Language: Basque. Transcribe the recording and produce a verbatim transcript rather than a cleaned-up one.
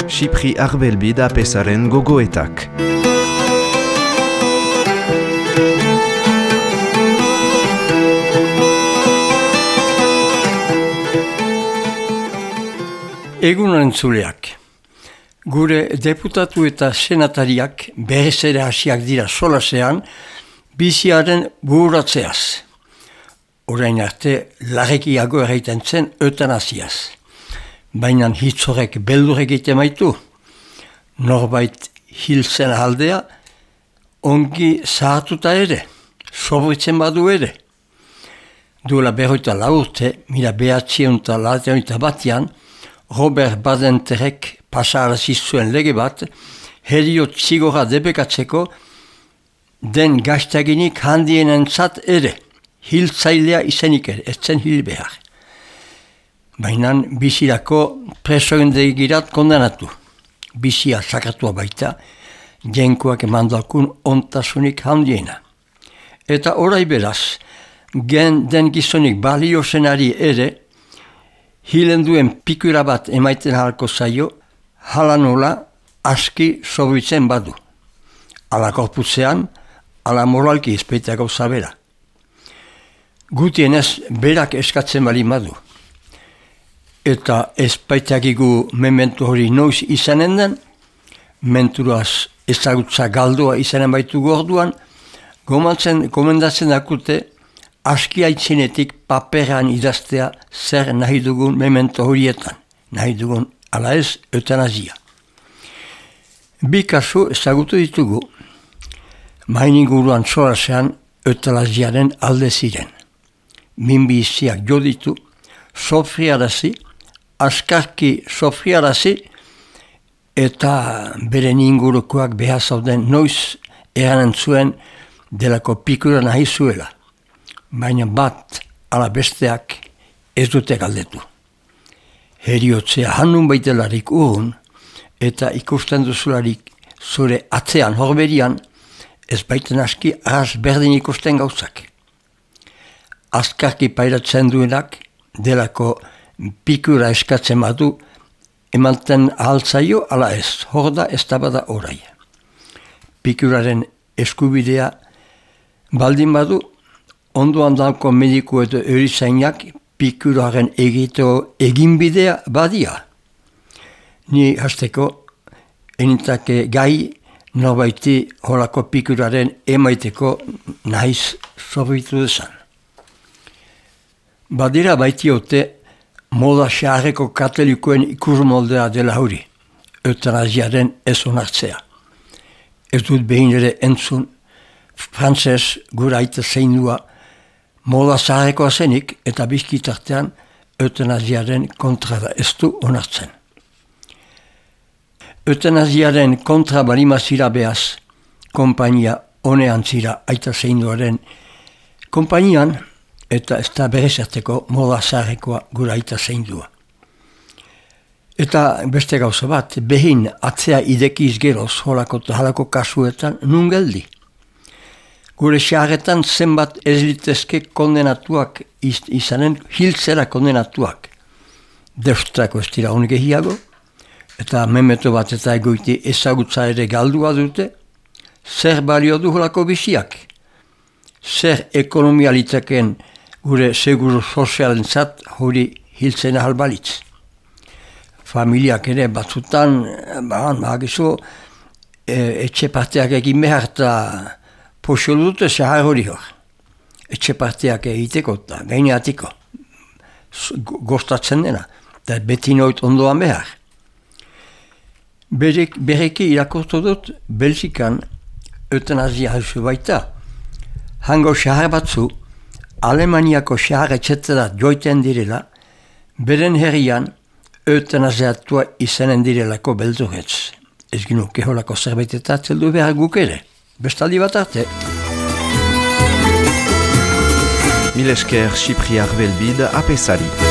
Xipri Arbelbid apesaren gogoetak. Egun entzuleak. Gure deputatu eta senatariak berez ere hasiak dira solasean biziaren buratzeaz. Orain arte larrekiago erraiten zen eutanasiaz. Baina hitz horrek beldur egite maitu. Norbait hiltzen aldea ongi zahartuta ere, sobritzen badu ere. Duela berroita laurte, mila behatzion eta laurte batian, Robert Badenterek pasarazi zuen lege bat, heriot zigorra debekatzeko den gaztaginik handienentzat ere, hiltzailea izenik ere, ez zen hil behar. Baina bizirako presoendegirat kondenatu. Bizia sakatua baita, jenkoak emandakun ontasunik handiena. Eta orai beraz, gen den gizonik balio zenari ere, hilen duen pikura bat emaiten halko zaio, hala nola aski sobritzen badu. Ala korputzean, ala moralki izpeiteako zabera. Gutienez berak eskatzen bali badu. Eta ezpaitakigu mementu hori noiz izanen den, menturaz ezagutza galdoa izanen baitu gorduan, gomantzen, komendatzen dakute, aski aitzinetik paperan idaztea zer nahi dugun memento horietan, nahi dugun ala ez eutanazia. Bi kasu ezagutu ditugu, maininguruan solasean eutanaziaren alde ziren. Minbi iziak jo ditu, sofriarazi, askarki sofriarazi, eta beren ingurukoak behar zauden noiz eranen zuen delako pikura nahi zuela. Baina bat ala besteak ez dute galdetu. Heriotzea hannun baitelarik urun eta ikusten duzularik zure atzean horberian ez baiten aski ahaz berdin ikusten gauzak. Azkarki pairatzen duenak delako pikura eskatzen badu emanten ahaltzaio ala ez, hor da ez da bada orai. Pikuraren eskubidea baldin badu, ondoan dauko mediku edo erizainak pikuraren egiteko eginbidea badia. Ni hasteko enitake gai norbaiti holako pikuraren emaiteko nahiz sobritu desan. Badira baitiote moda xaharreko katolikoen ikusmoldea dela hori, eutanaziaren ez onartzea. Ez dut behin ere entzun, frantzez gura aita zeindua moda zaharrekoa zenik eta bizkitartean eutanaziaren kontra da ez du onartzen. Eutanaziaren kontra balima zira behaz, kompainia honean zira aita zeinduaren kompainian eta ez da berezarteko moda zaharrekoa gura aita zeindua. Eta beste gauza bat, behin atzea idekiz geroz holako eta halako kasuetan nun geldi. Gure xarretan zenbat ez litezke kondenatuak iz, izanen hiltzera kondenatuak. Deustrako ez dira honik egiago, eta memeto bat eta egoiti ezagutza ere galdua dute, zer balio du holako biziak, zer ekonomia liteken gure seguru sozialen zat hori hiltzen ahal balitz. Familiak ere batzutan, bahan, bahagizu, e, etxe parteak egin behar eta posio dute zahar hori hor. Etxe parteak egiteko eta gaineatiko. Gostatzen dena, eta beti noit ondoan behar. Berek, bereki irakortu dut Belgikan eutanazia hauzu baita. Hango zahar batzu, Alemaniako zahar etxetara joiten direla, beren herrian eutanaziatua izanen direlako beldurretz. Ez ginuke holako zerbait eta zeldu behar guk ere. Bestaldi bat arte. Mil esker Xipri Arbelbid apesari.